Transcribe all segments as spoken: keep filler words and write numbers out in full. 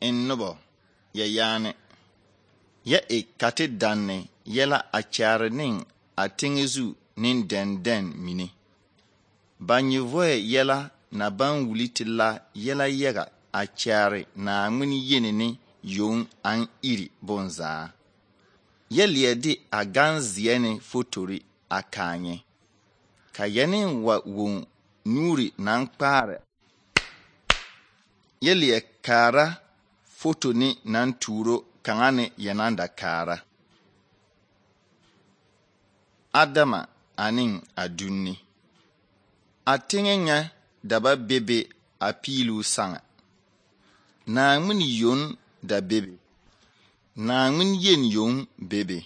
en noba ya yaane ya e kate danne yɛla a kyaare ne a teŋe zu ne dɛndɛn mine. Ba nyivɔɛ yɛla na ban wuli te la yɛla yaga a kyaare Naawmin yeni ne yoŋ an iri bonzaa. Yɛ leɛ de a gan zeɛ ne fotori a kaanyɛ. Ka yɛne wa woŋ nuuri nan kpaare. Yɛ leɛ kaara foto ne nan tuuro kaŋa ne yɛnan da kaara. Adama anin a dunni. A teŋe ŋa daba bebe a piilu saŋa. Naawmin yoŋ da bebe. Naawmin yen yoŋ bebe.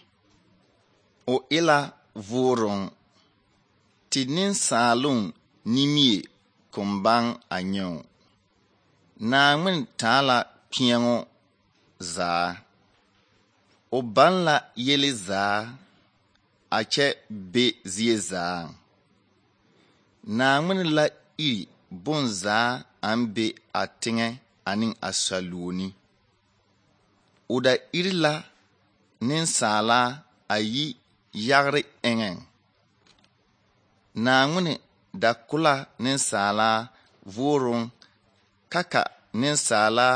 O ila vuuroŋ. Ti ninsaaloŋ nimie kumbaŋ a nyɛo. Naawmin taa la kpeɛŋo zaa. O baŋ la yele zaa a kyɛ be zie zaa. Naawmin la iri bonzaa an be a teŋɛ ane a saluoni. O da iri la ninsaala a yi yagre eŋɛŋ. Naawmin da kula ninsaala vuuroŋ kaka ninsaala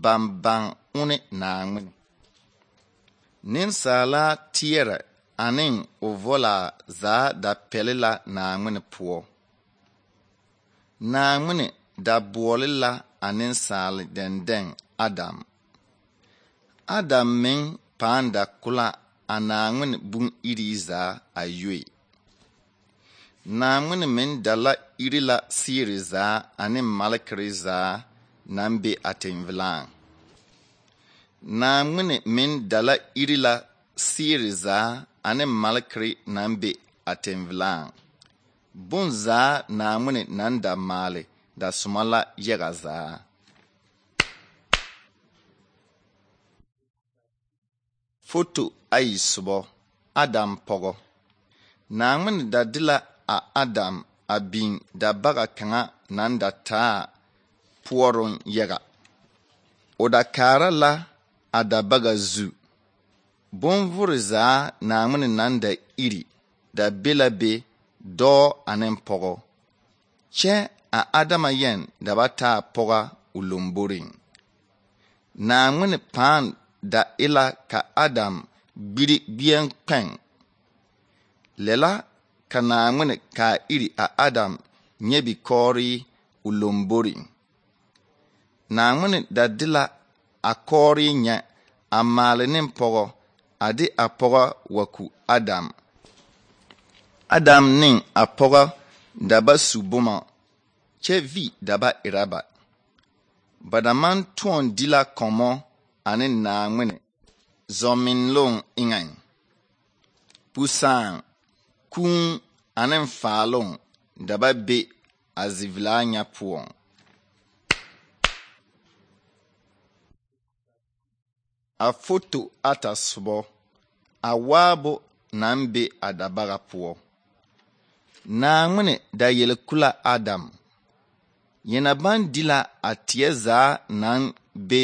bambaŋ une Naawmin. Ninsaala teɛrɛ anin o volaa zaa da pɛle la Naawmin poɔ. Naawmin da boɔle la a ninsaale dɛndɛn Adam. Adam meŋ pãã da kula a Naawmin bun iri zaa a yoe. Naawmin meŋ da la iri la siiri zaa ane malekere zaa nan be a tenvilaaŋ. Naawmin meŋ da la iri la siiri zaa ane malekere nan be a tenvilaaŋ. Bonzaa Naawmin nan da maale da soma la yaga zaa. Foto ayi sobɔ Adam pɔgɔ. Naawmin da de la a Adam a biŋ da baga kaŋa nan da taa puoroŋ yaga. O da kaara la a da baga zu. Bonvore zaa Naawmin nan da iri da be la be dɔɔ ane pɔgɔ. Kyɛ a Adama yɛn da ba taa pɔga o lomboriŋ. Naawmin pãã da ila ka Adam gbiri gbieŋ kpɛŋ. Lɛla ka Naawmin ka iri a Adam nyɛ bikɔɔre o lomboriŋ. Naawmin da de la a kɔɔre nyɛ a maale ne pɔgɔ a de a pɔgɔ wa ku Adam. Adam ne a pɔgɔ da ba su boma kyɛ vi da ba era ba. Ba da man tõɔn di la kɔmɔ ane Naawmin zɔminloŋ eŋɛŋ. Pusaaŋ, kũũ ane faaloŋ da ba be a zivilaa nya poɔŋ. A foto ata sobɔ a waabo nan be a dabaga poɔ. Naawmin da yele kula Adam. Yena ban di la a teɛ zaa nan be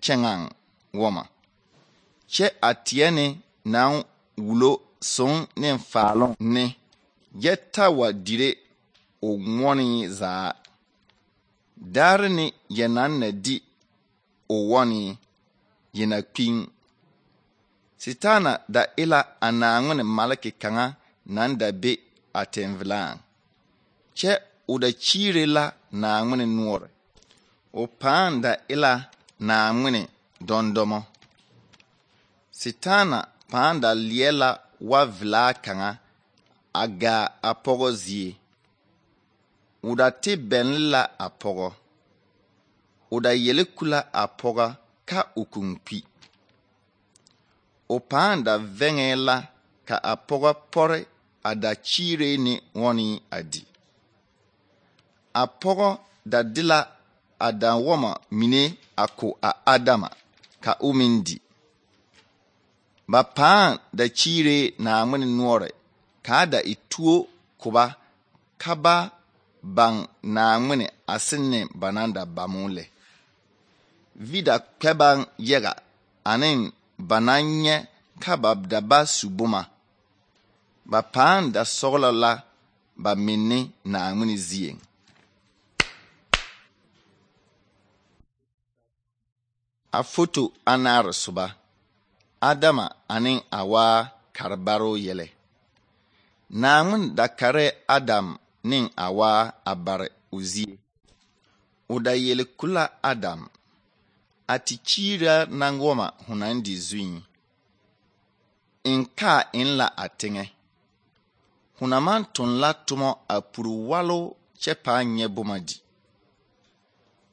kyɛŋaŋ wɔma. Kyɛ a teɛ ne nan wulo soŋ ne faaloŋ ne yɛ ta wa dire o ŋmɔne zaa. Daare ne yenan na di o wɔne yena kpiŋ. Sitaana da ila a Naawmin maleke kaŋa nan da be a tenvilaaŋ. Kyɛ o da kyiire la Naawmin noɔre. O pãã da ila Naawmin dɔndɔmɔ. Sitaana pãã da leɛ la wa vilaa kaŋa a gaa a pɔgɔ zie. O da te bɛnle la a pɔgɔ. O da yele kula a pɔgɔ ka o kuŋ kpi. O pãã da vɛŋɛɛ la ka a pɔgɔ pɔre a da kyiire ne wɔne a di. A pɔgɔ da de la a da wɔma mine a ko a Adama ka o meŋ di. Ba pãã da kyiire Naawmin noɔre kaa da e tuo koba ka ba baŋ Naawmin a sene ba nan da bamo lɛ. vida kpɛbaŋ yaga ane ba naŋ nyɛ ka ba da ba su boma. Ba paaŋ da sɔglɔ la ba minne Naawmin zieŋ. A foto anaare soba Adama ane Awa karibaro yɛlɛ. Naawmin da kare Adam ne Awa a bare o zie. O da yele kula Adam a ti kyiira nangoma ho naŋ di zuiŋ. In kaa in la a teŋɛ. Ho na maŋ toŋ la tomɔ a puri walo kyɛ paa nyɛ boma di.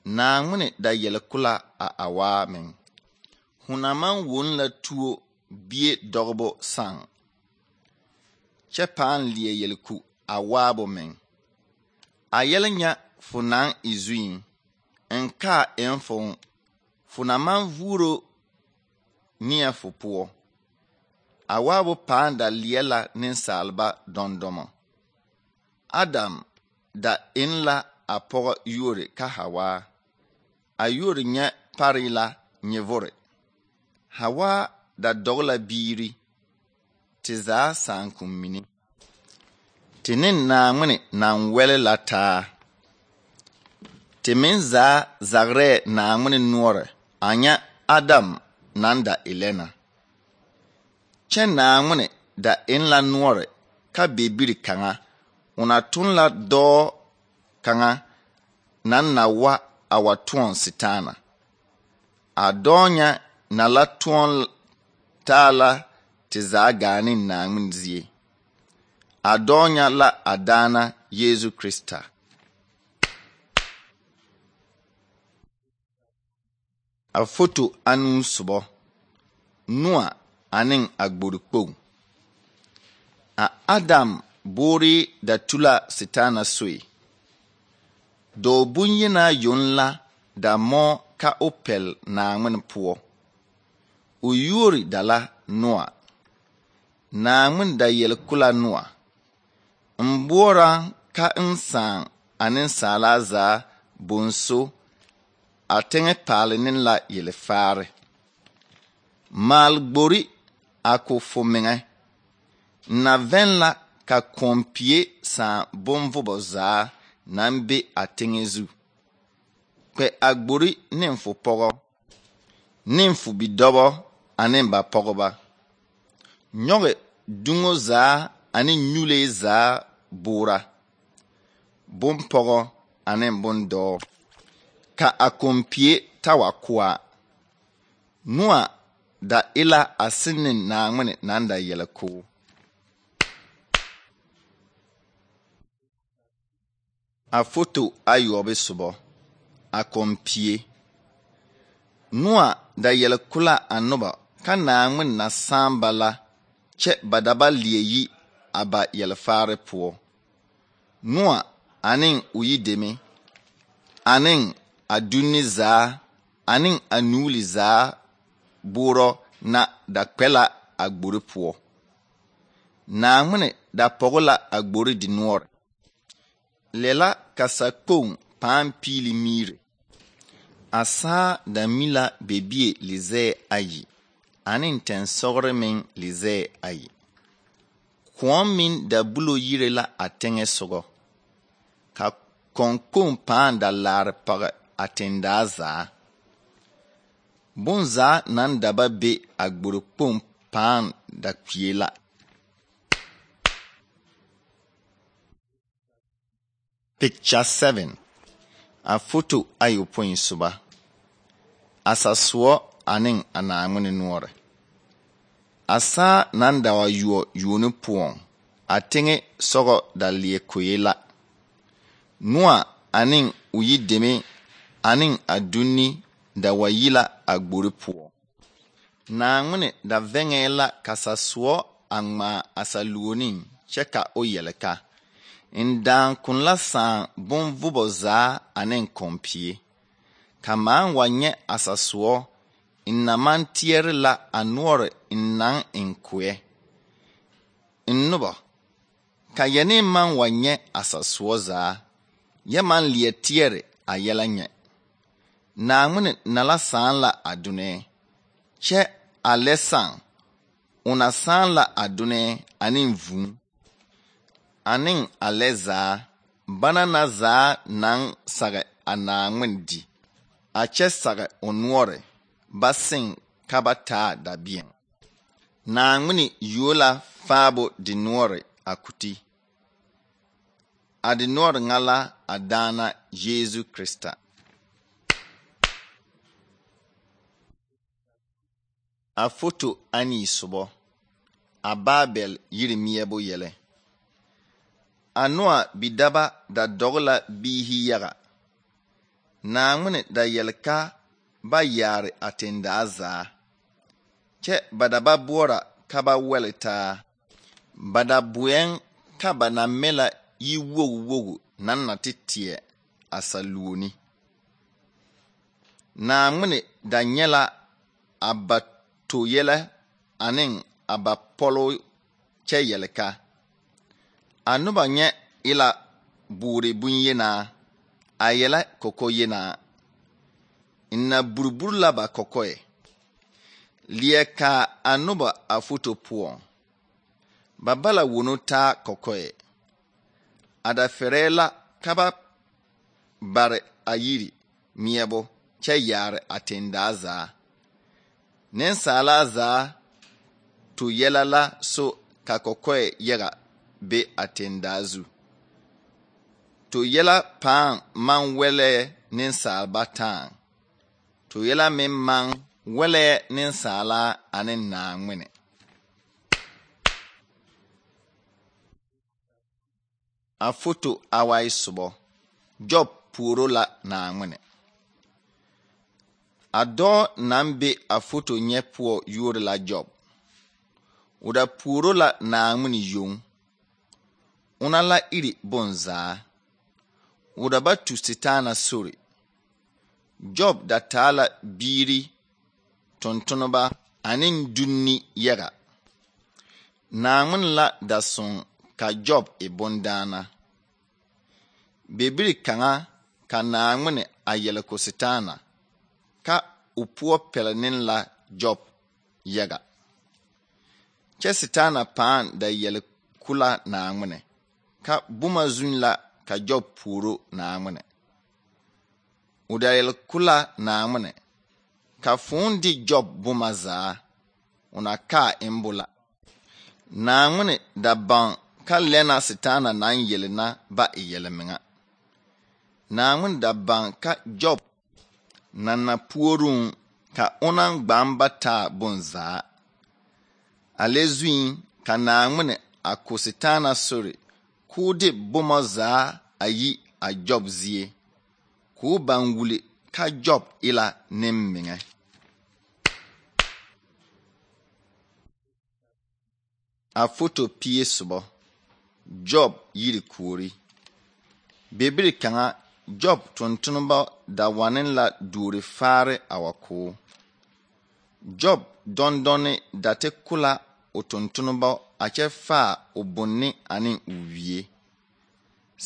Naawmin da yele kula a Awa meŋ. Ho na maŋ won la tuo bie dɔgebo saŋ. Kyɛ paa leɛ yele ku Awa bo meŋ. A yɛlɛ nya fo naŋ e zuiŋ. In kaa in fo fo na maŋ vuuro neɛ fo poɔ. Awa bo paa da leɛ la nensaalba dɔndɔmɔ. Adam da in la a pɔgɔ yuori ka Hawa. A yuori nyɛ pare la nyɛvore. Hawa da dɔg la biiri. Te zaa saakom mine. Te ne Naawmin naŋ wɛle la taa. Te meŋ zaa zagrɛɛ Naawmin noɔre a nyɛ Adam naŋ da e lɛ na. Kyɛ Naawmin da in la noɔre ka bebiri kaŋa o na tun la dɔɔ kaŋa naŋ na wa a wa tõɔn Setaana. A dɔɔ nya na la tõɔn taa la te zaa gaa ne Naawmin zie. A dɔɔ nya la a daana Yeesu Krista. A foto anuu sobɔ Noa ane a gbori kpoŋ. A Adam boore da tula Setaana soe. Dɔɔ bonyenaa yoŋ la da mɔɔ ka o pɛl Naawmin poɔ. O yuori da la Noa. Naawmin da yele kula Noa. N boɔra ka n sãã a nensaalaa zaa bonso a teŋɛ paale ne la yelefaare. Maal gbori a ko fo meŋɛ. Na vɛn la ka kɔmpie sãã bonvobɔ zaa naŋ be a teŋɛ zu. Kpɛ a gbori ne fo pɔgɔ, ne fo bidɔbɔ ane ba pɔgɔba. Nyɔge duŋo zaa ane nyulee zaa boora. Bompɔgɔ ane bondɔɔ. Ka a kɔmpie ta wa koa. Noa da ila a sinne Naawmin naŋ da yele koo. A foto ayɔbe sobɔ a kɔmpie. Noa da yele kula a noba ka Naawmin na sããba la kyɛ ba da ba leɛ yi a ba yelefaare poɔ. Noa ane o yideme ane a dunni zaa ane a nuuli zaa boorɔ na da kpɛ la a gbori poɔ. Naawmin da pɔgɔ la a gbori di noɔre. Lɛ la ka sakpoŋ pãã piili miire. A saa da mi la bebie lizɛɛ ayi ane tɛnsɔgre meŋ lizɛɛ ayi. Kõɔ meŋ da bulo yire la a teŋɛ sogɔ. Ka kɔnkɔŋ pãã da laare page a tendaa zaa. Bonzaa naŋ da ba be a gbori kpoŋ pãã da kpie la. Picture seven. A foto ayopõi soba. A sasoɔ ane a Naawmin noɔre. A saa naŋ da wa yuo yuoni poɔŋ. A teŋɛ sɔgɔ da leɛ koe la. Noa ane o yideme ane a dunni da wa yi la a gbori poɔ. Naawmin da vɛŋɛɛ la ka sasoɔ a ŋmaa a saluoniŋ kyɛ ka o yɛle ka. N daaŋkoŋ la sãã bonvobɔ zaa ane kɔmpie. Ka maan wa nyɛ a sasoɔ n na maŋ teɛre la a noɔre n naŋ en koɛ. N noba, ka yɛne maŋ wa nyɛ a sasoɔ zaa, yɛ maŋ leɛ teɛre a yɛlɛ nyɛ. Naŋmene na la sãã la a dũnɛɛ, kyɛ a lɛ sãã, o na sãã la a dũnɛɛ ane vũũ, ane a lɛ zaa, bana na zaa naŋ sage a Naŋmene di, a kyɛ sage o noɔre, ba seŋ ka ba taa dabeɛŋ. Naŋmene yuo la faabo dinoɔre a kuti. A dinoɔre ŋa la a daana Yeezu Krista. A foto anii sobɔ, a Baabɛl yiri meɛbo yɛlɛ. A Noa bidaba da dɔge la biihi yaga. Naŋmene da yɛle ka ba yaare a tendaa zaa, kyɛ ba da ba boɔra ka ba wɛle taa. Ba da boɛŋ ka ba na mɛ la yi-wogu wogu naŋ na te teɛ a saluoni. Naŋmene da nyɛ la a ba to-yɛlɛ ane a ba pɔlo kyɛ yɛle ka. A noba nyɛ e la boore bonyenaa, a yɛlɛ kɔkɔ-yenaa. N na buriburi la ba kɔkɔɛ. Leɛ kaa a noba a foto poɔŋ. Ba ba la wono taa kɔkɔɛ. A da fɛrɛɛ la ka ba bare a yiri meɛbo kyɛ yaare a tendaa zaa. Nensaalaa zaa to yɛlɛ la so ka kɔkɔɛ yaga be a tendaa zu. To yɛlɛ pãã maŋ wɛlɛɛ nensaalba tãã. To yɛlɛ meŋ maŋ wɛlɛɛ nensaalaa ane Naŋmene. A foto awai sobɔ, Job puoro la Naŋmene. A dɔɔ naŋ be a foto nyɛ poɔ yuori la Job. O da puoro la Naŋmene yoŋ. Ona la iri bonzaa. O da ba tu Setaana sori. Job da taa la biiri, tontoneba ane dunni yaga. Naŋmene la da soŋ ka Job e bondaana. Bebiri kaŋa ka Naŋmene a yɛle ko Setaana ka o poɔ pɛle ne la Job yaga. Kyɛ Setaana pãã da yɛle kula Naŋmene ka boma zuŋ la ka Job puoro Naŋmene. O da yɛle kula Naŋmene ka fõõ di Job boma zaa, o na kaa embo la. Naŋmene da baŋ ka lɛna Setaana naŋ yele na ba e yɛlmeŋa. Naŋmene da baŋ ka Job na na puoruŋ ka onaŋ gbaŋ ba taa bonzaa. A lɛ zuŋ ka Naŋmene a ko Setaana sori k'o de boma zaa a yi a Job zie, k'o baŋ wuli ka Job e la nemmeŋɛ. A foto pie sobɔ, Job yiri kuori. Bebiri kaŋa Job tontoneba da wane la duori faare a wa koo. Job dɔndɔne da te kula o tontoneba a kyɛ faa o bonni ane o wie.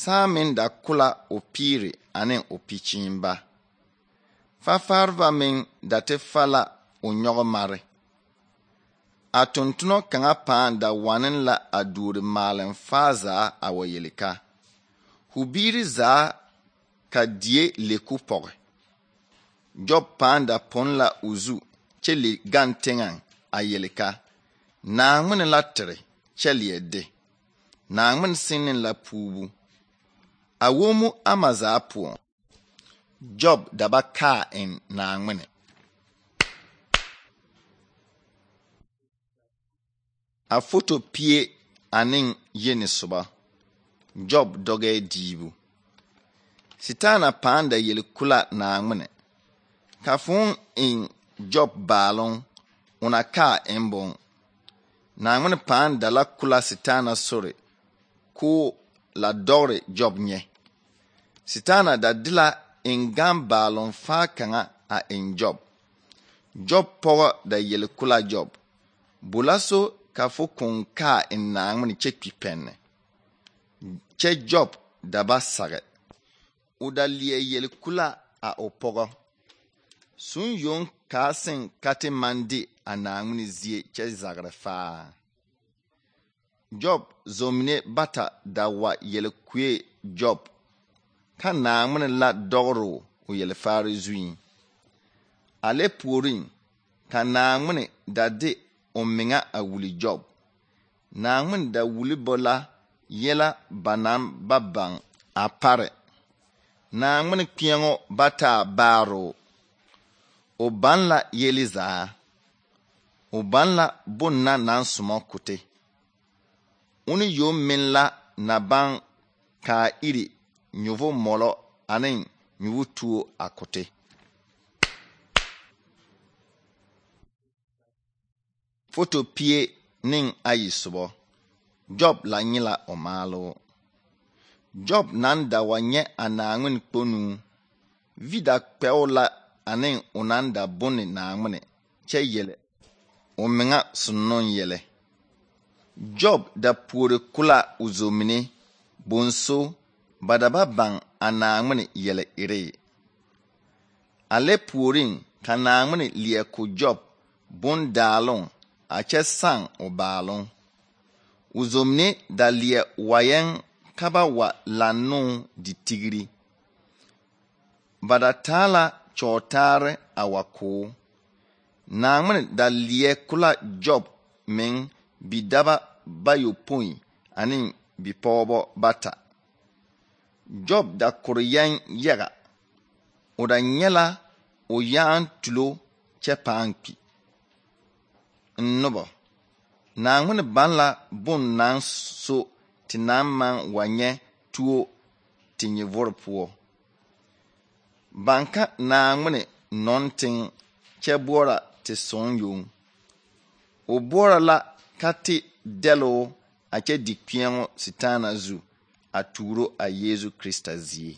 Saa meŋ da kula o piiri ane o pikyiimba. Fafaareba meŋ da te fa la o nyɔgemare. A tontono kaŋa pãã da wane la a duori maaleŋ faa zaa a wa yele ka. Hu biiri zaa ka die leku pɔge. Job pãã da pon la o zu kyɛ le gaŋ teŋɛŋ a yele ka. Naŋmene la tere kyɛ leɛ de. Naŋmene seŋ la puubu. A womu ama zaa poɔŋ. Job da ba kaa en Naŋmene. A foto pie ane yeni soba, Job dɔgɛɛ diibu. Setaana pãã da yele kula Naŋmene. Ka fõõ en Job baaloŋ, ona kaa embon. Naŋmene pãã da la kula Setaana sori, k'o la dɔgre Job nyɛ. Setaana da de la en gaŋ baaloŋ faa kaŋa a en Job. Job pɔgɔ da yele kula Job. Bola so ka fo kõn kaa en Naŋmene kyɛ kpi pɛnne. Kyɛ Job da ba sage. O da leɛ yele kula a o pɔgɔ. sun yong kaasen kate mande a naangmene zie kyɛ zagre faa. Job zomne bata da wa yele kue Job ka naangmene la dogro o yele faare zuin. Ale puorin ka naangmene da de o menga a wuli Job. Naangmene da wuli bola yela banan babang a pare. Naangmene kpiengo bata baaro. O ban la yeli zaa. O ban la bonna nan sumo kote. Uni yo min la na ban ka iri nyuvo molo anin nyuvo tuo a kote. Foto pie nin ayi subo. Job la nyila o maalo. Job nan da wa nye a naangmene kponu. Vida kpeo la anin unan da bonni naangmene che yele. O menga sunnon yele. Job da puore kula uzomine bonso badaba bang a naangmene yele ire. Ale puorin ka naangmene liye ku Job bon daalon a che sang o baalon. Uzomne da liye wayen kaba wa lanu di tigri. Bada tala chotare a wako. Naangmene da liye kula Job men bidaba bayo point anin bipobo bata. Job da kuriyan yaga. O da nyela o yaan tulo che paanpi. Nnobo. Naangmene ban la bon nan so ti nan man wanye tuo ti nye vorpuo. Banka naangmene non-ting che bora ti son yung. O bora la kati delo a che dikpiengo sitana zu a turo a Yesu Krista zie.